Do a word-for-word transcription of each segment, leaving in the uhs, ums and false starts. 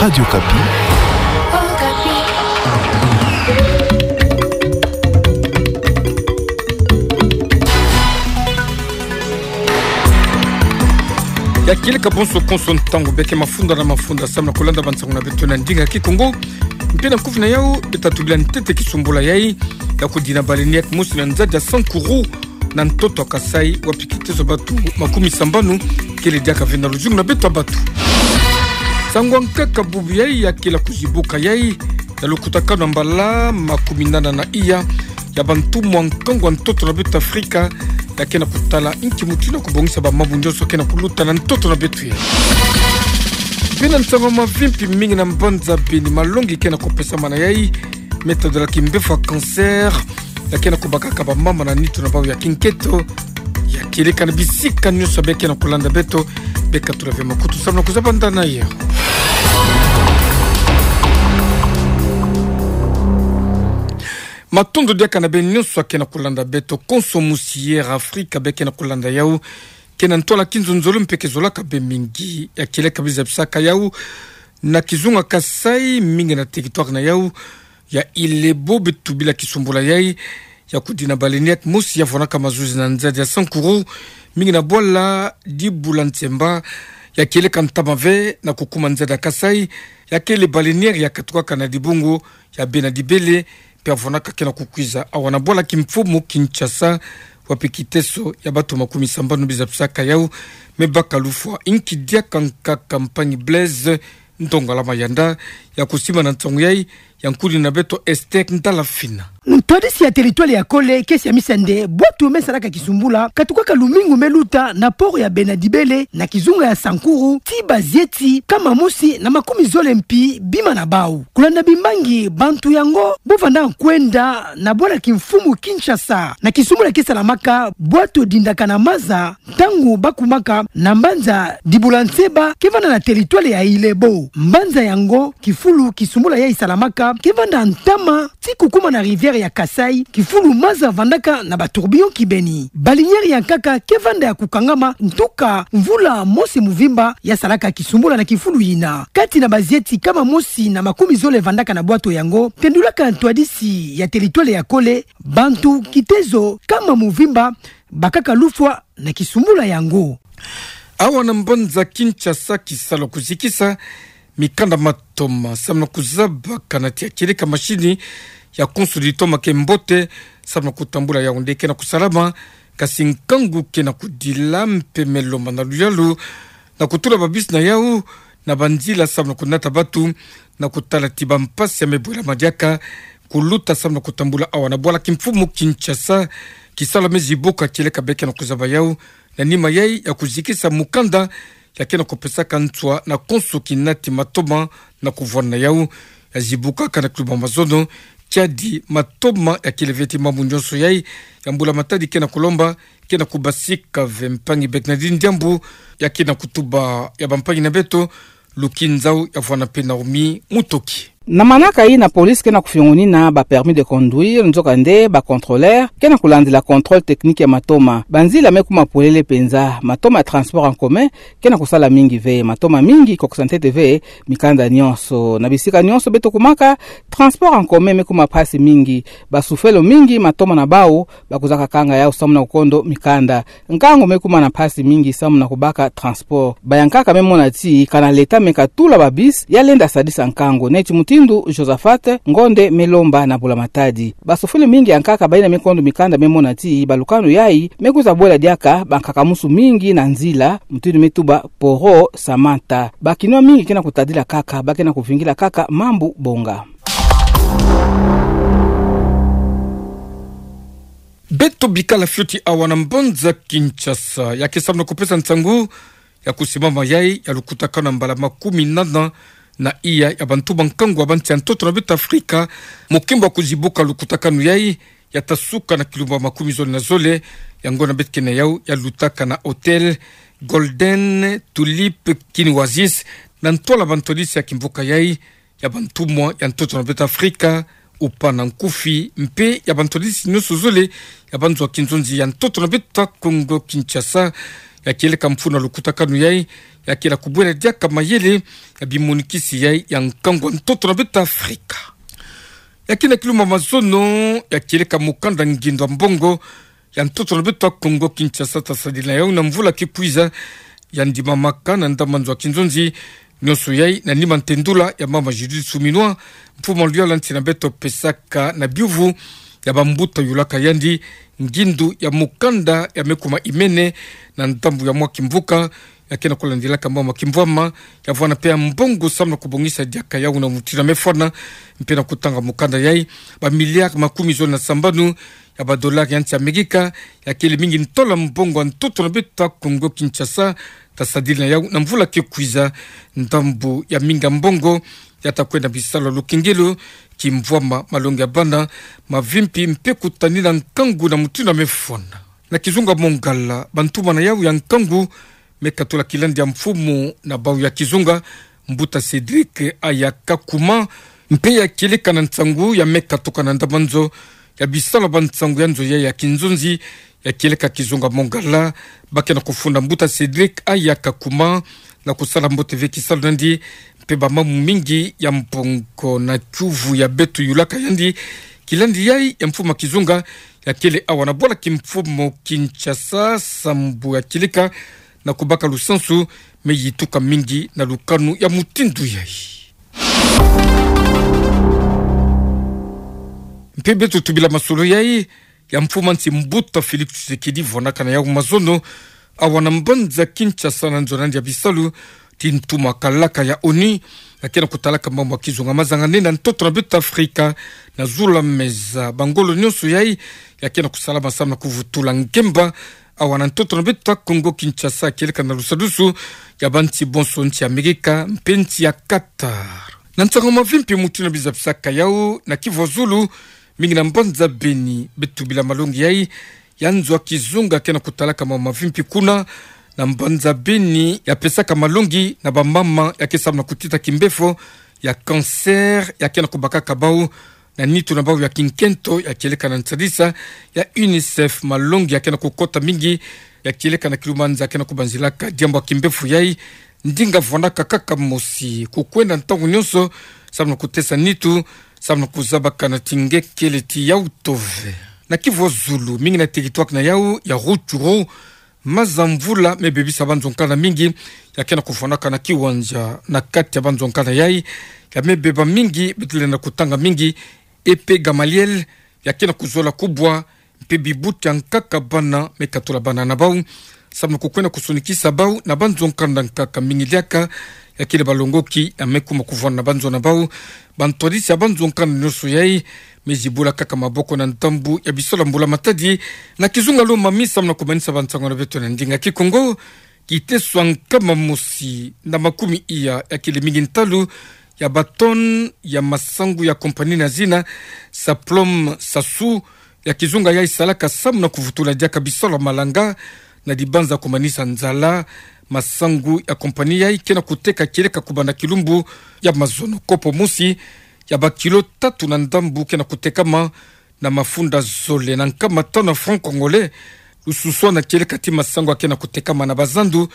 Radio Okapi. Ya kieleka bonso konso ntangu beke mafunda na mafunda samu na kulanda bansangu na beto na ndinga Kikongo. Mpe na nkufi na yau, beta tubila ntete kisumbula yai ya kudina baleinière mosi na nzadi ya Sankuru, na ntoto ya Kasaï, wapi kiteso bantu makumi sambanu kele diaka ve na luzingu na beto ya bantu. Nsangu ya nkaka bubu yai ya kele kuzibuka yai, ya lukutakanu ya mbala makumi nana na iya ya bantumwa nkangu ya ntoto na beto Afrika, ya ke na kutala nki mutindu ya kubongisa bamambu nyonso ke na kuluta na ntoto na beto yai. Mpe na nsangu ya mavimpi, mingi na mbanza beni malongi ke na kupesamana yai, me tadolaka mbevo ya cancer, ya ke na kubakaka bamama na nitu na bau ya kinketo. Ya kieleka na bisika nyonso beke na kulanda beto, beka tula ve makutu samu na kuzaba ndana yai. Matondo diaka na beno nyonso ya ke na kulanda beto konso musi Air Afrika beke na kulanda yau. Ke na ntwala kinzonzolo mpe ke zolaka bê mingi. Ya kieleka bê zabisaka yau na kizunga Kasaï, mingi na territoire na yau ya Ile-Ebo, beta tubila kisumbula yai ya kudina baleinière mosi ya vwanaka mazuzi na nzadi ya Sankuru, mingi na bwala Dibula Ntsemba. Ya kieleka ntama ve na kukuma nzadi ya Kasaï, ya kele baleinière ya katukaka na dibungu ya Bena Dibele, mpe ya vwanaka ke na kukwiza awa na bwala kimfumu Kinshasa, wapi kiteso ya bantu makumi sambanu bê zabisaka yau. Me baka lufwa nki diaka nkaka mpangi Blaise Ndongala Mayanda ya kusimba na nsangu yai, ya nkuni na beto Esther Ndalafina. Ntwadisi ya territoire ya Kole ke siamisa nde bwatu me salaka kisumbula katukaka lumingu me luta na port ya Bena Dibele na kizunga ya Sankuru, tii bazieti kama mosi na makumi zole mpi bima na bau. Kulanda bimbangi, bantu yango bo vanda kwenda na bwala kimfumu Kinshasa. Na kisumbula ke salamaka, bwatu dindaka na maza ntangu ba kumaka na mbanza Dibula Ntsemba ke vanda na territoire ya Ile-Ebo. Mbanza yango, kifulu kisumbula yai salamaka ke vanda ntama tii kukuma na rivière ya Kasaï, kifulu maza vandaka na ba tourbillon kibeni. Baleinière ya nkaka ke vanda ya kukangama, ntuka mvula mosi muvimba ya salaka kisumbula na kifulu yina. Kati na bazieti kama mosi na makumi zole vandaka na bwatu yango, tendulaka ntwadisi ya territoire ya Kole, bantu kitezo kama muvimba bakaka lufwa na kisumbula yango. Awa na mbanza Kinshasa, kisalu kuzikisa mikanda matoma samu na kuzaba kana tia kieleka mashini ya konso litoma ke mbote samu na kutambula yau nde ke na kusalama, kasi nkangu ke na kudila mpe me lomba na luyalu na kutula babisi na yau na banzila samu na kunata bantu na kutala ti bampasi ya me bwela madiaka kuluta samu na kutambula awa na bwala kimfumu Kinshasa. Kisalu me zibuka kieleka beke na kuzaba yau na nima yai ya kuzikisa mukanda ya ke na kupesaka nswa na konso kinati matoma na kuvwana yau. Ya zibukaka na kiluba mazono, kiadi matoma ya kele ve ti mambu nyonso yai ya mbula matadi ke na kulomba ke na kubasika ve. Mpangi Bernardine Diambu ya ke na kutuba ya bampangi na beto, Luki Nzau ya vwana mpe Naomi Mutoki. Na manaka yina, police ke na kufiongonina ba permis de conduire, nzokande ba contrôleur ke na kulandila contrôle technique ya matoma. Banzila me kuma polele penza. Matoma ya transport en commun ke na kusala mingi ve. Matoma mingi kokisa ntete ve mikanda nyonso. Na bisika nyonso beto kumaka, transport en commun me kuma mpasi mingi. Basufelo mingi matoma na bau, bakuzaka kanga yau samu na kukondo mikanda. Nkangu me kuma na mpasi mingi samu na kubaka transport. Bayankaka me mona ti kana l'État me katula babisi, ya lenda sadisa nkangu, neti mutindu Josaphat Ngonde me lomba na mbula matadi. Basufelo mingi yankaka bayina me kondo mikanda me mona ti balukanu yai me kwiza bwela diaka bankaka-musu mingi na nzila, mutindu me tuba Poro Samantha. Bakinwa mingi ke na kutadila kaka, ba ke na kuvingila kaka mambu bonga. Beto bikala fioti awa na mbanza Kinshasa, ya ke samu na kupesa nsangu ya kusimama yai ya lukutakanu ya mbala makumi nana na iya ya bantu ba nkangu ya bansi ya ntoto na beto Afrika. Mukimbo ya kuzibuka lukutakanu yai ya ta suka na kilumbu ya makumi zole na zole, ya ngonda beto ke na yau ya lutaka na Hôtel Golden Tulip Kin Oasis, na ntwala bantwadisi ya kimvuka yai ya bantumwa ya ntoto na beto Afrika, upa na nkufi, mpe ya bantwadisi nyonso zole ya banzo ya kinzonzi ya ntoto na beto Kongo Kinshasa. Ya kieleka mfunu ya lukutakanu yai ya kele kubwela diaka mayele ya bimonikisi yai ya nkangu a ntoto na beto Afrika. Ya kina kiluma mazono, ya kieleka mukanda ngindo a mbongo ya ntoto na beto Kongo Kinshasa, tasadila yau na mvula ke kwiza, ya ndimamaka na ndambu nzo a kinzonzi, nionso yai na nima nte ndula ya mama Judith Suminwa, mfumu a luyalu a nsi na beto, pesaka na biuvu ya bambuta yulaka yandi ngindu ya mukanda ya me kuma imene na ndambu ya mwa kimvuka, ya kena kulandilaka mama kimvwama, ya vwana pe ya mbongo samu na kubongisa diaka yau na mutindu ya me fwana, mpe na kutanga mukanda yai, ba milliards makumi zole na sambanu ya ba dollars ya nsi Amerika, ya kele mingi ntola mbongo a ntoto na beto Kongo Kinshasa, tasadila yau na mvula ke kwiza, ndambu ya mingi a mbongo ya ta kwenda bisalu ya lukengelo, kimvwama, malongi ya bana, mavimpi mpe kutanina nkangu na mutindu ya me fwana. Na kizunga Mongala, bantumana yau ya nkangu me katula kilandi ya mfumu na bau ya kizunga, mbuta Cédric Ayakakuma, mpe ya kieleka na nsangu ya me katuka na ndambu nzo ya bisalu ya bansangu ya nzo yai ya kinzonzi, ya kieleka kizunga Mongala, ba kena kufunda mbuta Cédric Ayakakuma na kusala mbote ve kisalu nandi, mpe ba mamu mingi ya mbongo na kiuvu ya beto yulaka yandi. Kilandi yai ya mfumu a kizunga ya kele awa na bwala kimfumu Kinshasa, sambu ya kieleka na kubaka lusansu me yituka mingi na lukanu ya mutindu yai. Mpe beto tubila masolo yai ya mfumu a nsi mbuta Félix Tshisekedi vwanakana yau mazono awa na mbanza Kinshasa na nzo nandi ya bisalu, ti ntuma kalaka ya ONU, ya kena kutalaka mambu ma kizunga mazangane na ntoto na beto Afrika, na zula meza bangolo nionso yai ya kena kusalama samu na kuvutula ngemba awa na ntoto na beto Kongo Kinshasa, kieleka na lusadusu ya bansi bonso, nsi Amerika mpe nsi ya Qatar. Na nsangu mavimpi mutindu na bizapisaka yau na kivu ya zulu, mingi na mbanza Beni, beto tubila malongi yai ya nzo a kizunga kena kutalaka mambu mavimpi kuna na mbanza Beni, ya pesaka malongi na bamama ya ke samu na kutita kimbefo ya cancer, ya kena kubakaka bau na nitu na bau ya kinkento, ya kieleka na nsadisa ya UNICEF. Malongi ya kena kukota mingi, ya kieleka na kilumanza kena kubanzilaka diambu ya kimbefo yai, ndinga vwanaka kaka mosi, kukwenda ntangu nionso samu na kutesa nitu, samu na kuzabaka na tingekele ti yau tove. Na kivu ya zulu, mingi na territoire na yau ya Rutshuru, maza mvula me bebisa banzo nkanda mingi, ya kena kuvwanaka na kiwanja na kati ya banzo nkanda yai, ya me beba mingi, beto lenda kutanga mingi, épée Gamaliel, ya kena kuzola kubwa, mpe bibuti ya nkaka bana me katula bana na bau, samu na kukwenda kusonikisa bau na banzo nkanda nkaka mingi diaka, ya kele balongoki ya me kuma kuvwana na banzo na bau. Bantwadisi ya banzo nkanda nionso yai me zibula kaka maboko na ndambu ya bisalu ya mbula matadi. Na kizunga Lomami, samu na kumanisa bansangu na beto na ndinga Kikongo, kiteso a nkama mosi na makumi iya ya kele mingi ntalu ya ba tonnes ya masangu ya compagnie na zina Saplom Sassou, ya kizunga yai salaka samu na kuvutula diaka bisalu ya malanga na dibanza kumanisa nzala. Masangu ya compagnie yai kena kuteka kieleka kubanda kilumbu ya mazono, kopo mosi ya ba kilo tatu na ndambu kena kutekama na mafunda zole na nkama tanu ya francs congolais. Lususwana kieleka ti masangu ya kena kutekama na bazandu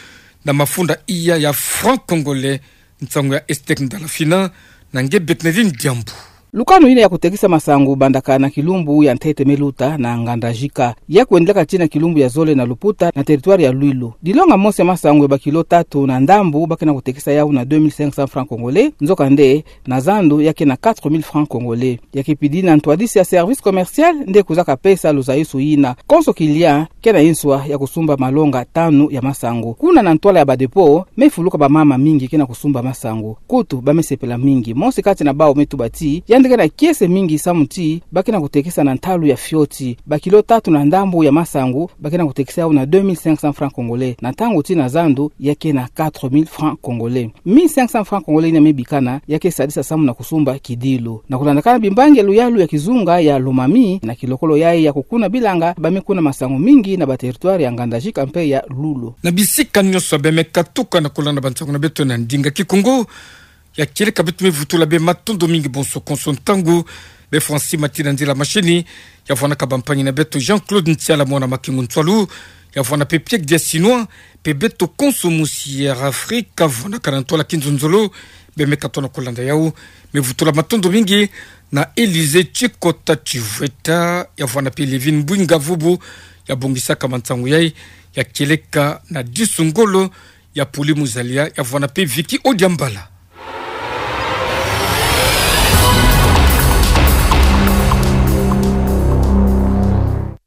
na mafunda iya ya francs congolais. Nsangu ya Esther Ndalafina na nge Bernardine Diambu. Lukanu yina ya kutekisa masangu bandaka na kilumbu ya ntete me luta na Ngandajika, ya kwendilaka tii na kilumbu ya zole na Luputa na territoire ya Lwilu. Dilonga mosi ya masangu ya ba kilo tatu na ndambu ba kena kutekisa yau na deux mille cinq cents francs congolais, nzokande na zandu ya ke na quatre mille francs congolais. Ya ke pidi na ntwadisi ya service commercial nde kwiza kapesa luzayusu yina. Konso client ke na nswa ya kusumba malonga tanu ya masangu. Kuna na ntwala ya ba dépôt, me fuluka bamama mingi ke na kusumba masangu. Kutu, ba me sepela mingi. Mosi kati na bau me tuba ti yandi ke na kiese mingi samu ti ba ke na kutekisa na ntalu ya fioti. Ba kilo tatu na ndambu ya masangu ba ke na kutekisa yau na deux mille cinq cents francs congolais. Na ntangu ti na zandu ya ke na quatre mille francs congolais. Mille cinq cents francs congolais yina me bikana ya ke sadisa samu na kusumba kidilu. Na kulandakana bimbangi ya luyalu ya kizunga ya Lomami, na kilokolo yai ya kukuna bilanga, ba me kuna masangu mingi na ba territoire ya Ngandajika mpe ya Lwilu. Na bisika nionso ba me katuka na kulanda bansangu na beto na ndinga Kikongo, ya kieleka beto me vutula bê matondo mingi bonso konso ntangu. Bê Francis Matina Nzila Mashini, ya vwanaka bampangi na beto Jean-Claude Ntiala, mwana Makingu Ntwalu, ya vwanape Piek dia Sinwa, pe Beto Konso Musi Air Afrika, vwanakanantwala Kinzonzolo, bemeka tona kolanda yau. Mevutula matondo mingi na Elise Chikota Chivweta, ya vwanape Levine Bwinga Vubu, ya bongisaka mansangu yai, ya kieleka na Disu Ngolo, ya Puli Muzalia, ya vwanape Vicky Odiambala.